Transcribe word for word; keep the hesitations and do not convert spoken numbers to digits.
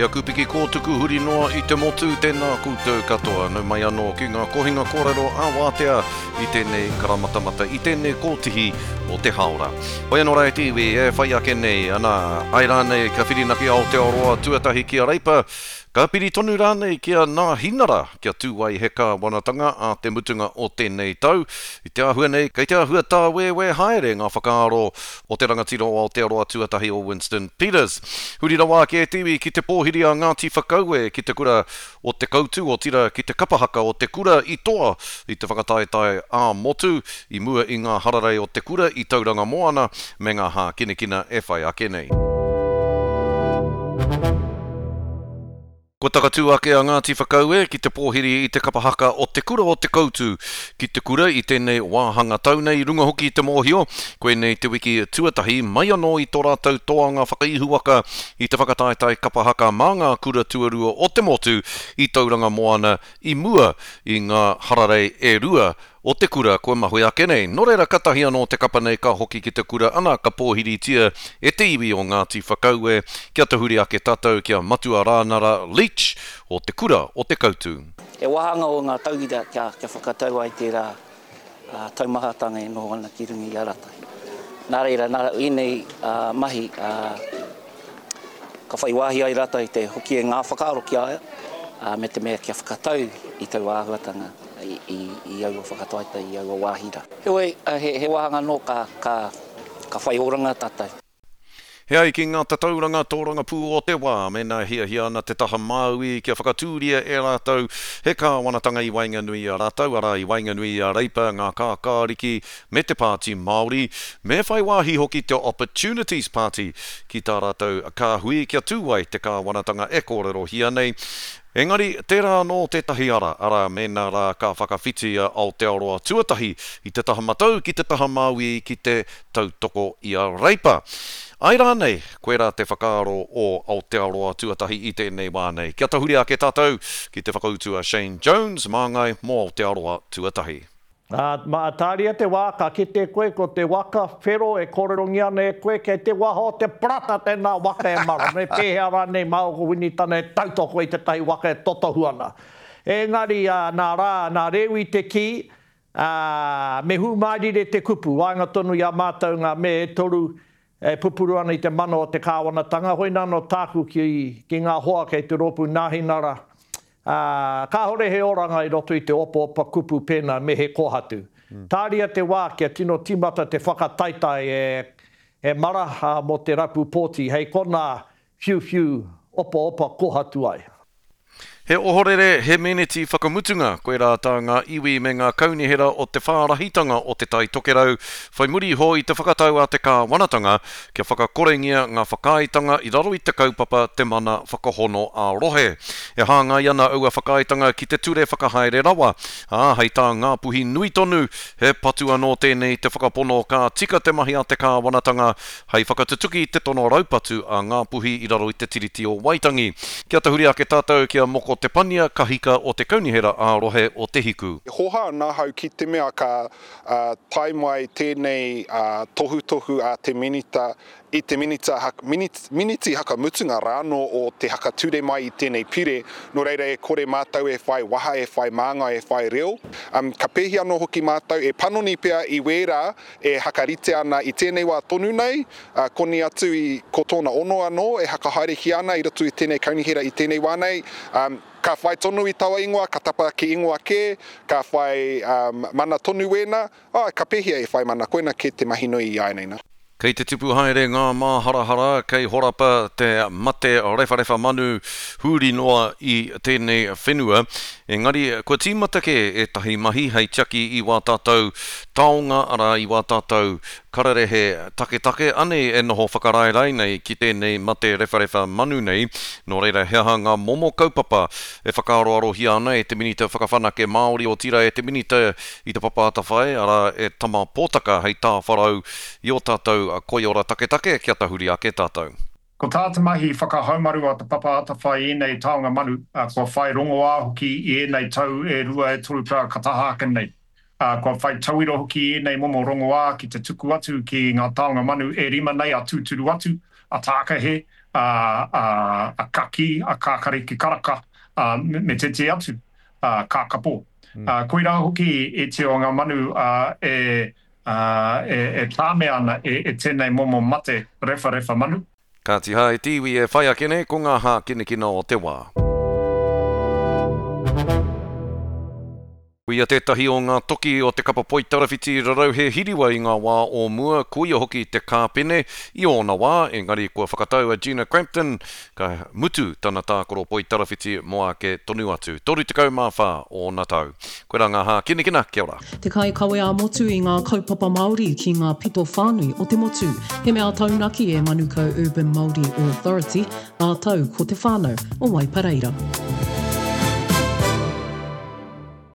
Aku piki kōtuku huri noa i te motu, tēnā koutou katoa. Nau mai anō ki ngā kohinga kōrero a Wātea i tēnei karamatamata, i tēnei kōtihi o te hāora. Hoi anō rā e te iwi, e whai ake nei, ana, ai rānei ka whirinaki Aotearoa tuatahi ki a Reipa, ka piri tonu rānei ki a Nāhinara, kia tū ai he kāwanatanga a te mutunga o tēnei tau. I te āhua nei, kei te āhua tāwēwē haere ngā whakaaro o te rangatira o Aotearoa tuatahi o Winston Peters. Huri rawa ake e te iwi ki te pōhiri a Ngāti Whakaue ki te kura o Te Koutu, otirā ki te kapa haka o te kura i toa i te whakataetae ā-motu i mua i ngā hararei o te kura i Tauranga Moana me ngā hākinakina e whai ake nei. Kua takatū ake a Ngāti Whakaue ki te pōhiri i te kapa haka o te kura o Te Koutu ki te kura i tēnei wāhanga tau nei, runga hoki i te mōhio, koinei te wiki tuatahi mai anō i tō rātou toanga whakaihuwaka i te whakataetae kapa haka mā ngā kura tuarua o te motu i Tauranga Moana i mua i ngā hararei e rua o te kura kua mahue ake nei. Nō reira, katahi anō te kapa nei ka hoki ki te kura ana ka pōhiritia e te iwi o Ngāti Whakaue kia tahuri ake tātou ki a Matua Rānara Leach o te kura o Te Koutu. He wāhanga o ngā tauira kia, kia whakatau ai tērā taumahatanga e noho ana ki runga i a rātou. Nā reira, nā ēnei mahi ka whai wāhi ai rātou te hoki e ngā whakaaro ki a ia, me te mea kia whakatau i taua āhuatanga i, i, i aua whakataetae, i aua wāhi rā. Heoi, he, he wāhanga anō ka, ka, ka whai oranga tātou. He ai ki ngā tatauranga tōrangapū o te wā, mēnā hiahia ana te taha Māui kia whakatūria e rātou he kāwanatanga i waenganui i a rātou, arā i waenganui i a Reipa, ngā Kākāriki me te Pāti Māori, me whai wāhi hoki te Opportunities Party ki tā rātou kāhui kia tū ai te kāwanatanga e kōrerohia nei. Engari, tērā anō tētahi ara, arā, mēnā rā ka whakawhiti a Aotearoa tuatahi i te taha matau ki te taha Māui ki te tautoko i a Reipa. Ai rānei, koirā te whakaaro o Aotearoa tuatahi i tēnei wā nei. Kia tahuri ake tātou ki te whakautu a Shane Jones, māngai mō Aotearoa tuatahi. Ā, mā, tāria te wā, ka kite koe ko te waka whero e kōrerongia ana e koe, kei te waha o te parata tēnā waka e mara, me pēhea rānei māua ko Winitana e tautoko i tētahi waka e totohu ana. Engari, ā, nā Rā, nā Rewi te kī, ā, me hūmārire te kupu, waenga tonu i a mātou ngā me e toru e pupuru ana i te mana o te kāwanatanga, hoina anō tāku ki, ki ngā hoa kei te rōpū Nāhinara, ā, kāhore he oranga i roto i te opaopa kupu pēnā me he kōhatu. Tāria te wā kia tino tīmata te whakataetae e, e mara, ā, mō te rapu pōti, hei konā whiuwhiu opaopa kōhatu ai. He ohorere, he meneti whakamutunga, koirā tā ngā iwi me ngā kaunihera o te whārahitanga o Te Tai Tokerau whai muri iho i te whakatau a te kāwanatanga kia whakakorengia ngā whakaaetanga i raro i te kaupapa Te Mana Whakahono ā-Rohe. E hāngai ana aua whakaaetanga ki te ture whakahaere rawa, ā, hei tā Ngāpuhi nui tonu, he patu anō tēnei te whakapono ka tika te mahi a te kāwanatanga hei whakatutuki i te tono raupatu a Ngāpuhi i raro i te Tiriti o Waitangi. Kia tahuri ake tātou ki a Moko Te Pania Kahika o te Kaunihera ā-Rohe o Te Hiku. E hoha ana ahau ki te mea ka tae mai tēnei tohutohu a te Minita i te minita, miniti hakamutunga rānō o te hakature mai i tēnei pire, nō reira e kore mātou e whai waha, e whai māngai, e whai reo. Ka pēhi anō hoki mātou e panoni pea i wērā e hakarite ana i tēnei wā tonu nei, koni atu i ko tōna ono anō e hakahaerehia ana i roto i tēnei kaunihera i tēnei wā nei, ka whai tonu i taua ingoa, ka tapa ki ingoa kē, ka whai mana tonu wēnā, āe, ka pēhea e whai mana, koina kē te mahi nui i āianei nā. Kei te tipu haere ngā māharahara kei horapa te mate rewharewha manu huri noa i tēnei whenua, engari kua tīmata kē ētahi mahi hei tiaki i wā tātou taonga, arā, i wā tātou kararehe taketake, anei e noho whakaraerae nei ki tēnei mate rewharewha manu nei. Nō reira, he aha ngā momo kaupapa e whakaaroarohia ana e te Minita Whakawhanake Māori, otirā e te Minita i Te Papa Atawhai, arā, e Tama Potaka hei tāwharau i ō tātou koiora taketake kia tahuri ake tātou. Ko tā te mahi whakahaumaru a Te Papa Atawhai i ēnei taonga manu, kua whai rongoā hoki i ēnei tau e rua e toru pea ka taha ake nei. Kua whai tauira hoki i ēnei momo rongoā ki te tuku atu ki ngā taonga manu e rima nei a tūturu atu, a tākahe, a, a, a kaki, a kākariki karaka, a, me, me tētehi atu, a, kākapō. Mm. Uh, koirā hoki ētehi o ngā manu uh, e, uh, e, e tāmea ana e, e tēnei momo mate rewharewha manu. Kāti hā e te iwi e whai ake nei ko ngā hākinakina o te wā. Koia tētahi o ngā toki o te kapa poitarawhiti rarauhe hiriwa i ngā wā o mua, koia hoki te kāpene i ōna wā, engari kua whakatau a Gina Crampton, ka mutu tana tākaro poitarawhiti mō ake tonu atu. toru tekau mā whā ōna tau. Koirā ngā hākinakina, kia ora. Te kaikawe ā-motu i ngā kaupapa Māori ki ngā pito whānui o te motu. He mea taunaki e Manukau Urban Māori Authority, rātou ko te whānau o Waipareira.